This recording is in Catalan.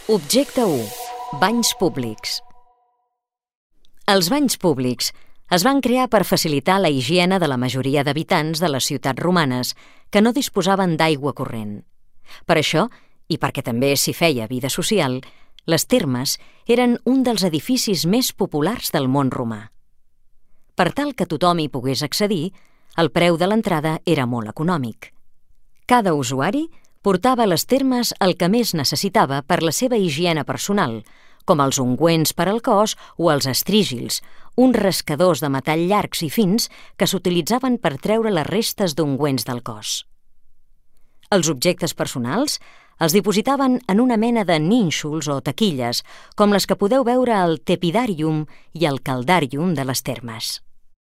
Objecte 1. Banys públics. Els banys públics es van crear per facilitar la higiene de la majoria d'habitants de les ciutats romanes que no disposaven d'aigua corrent. Per això, i perquè també s'hi feia vida social, les termes eren un dels edificis més populars del món romà. Per tal que tothom hi pogués accedir, el preu de l'entrada era molt econòmic. Cada usuari portava a les termes el que més necessitava per la seva higiene personal, com els ungüents per al cos o els estrígils, uns rascadors de metall llargs i fins que s'utilitzaven per treure les restes d'ungüents del cos. Els objectes personals els dipositaven en una mena de nínxols o taquilles, com les que podeu veure al tepidàrium i al caldàrium de les termes.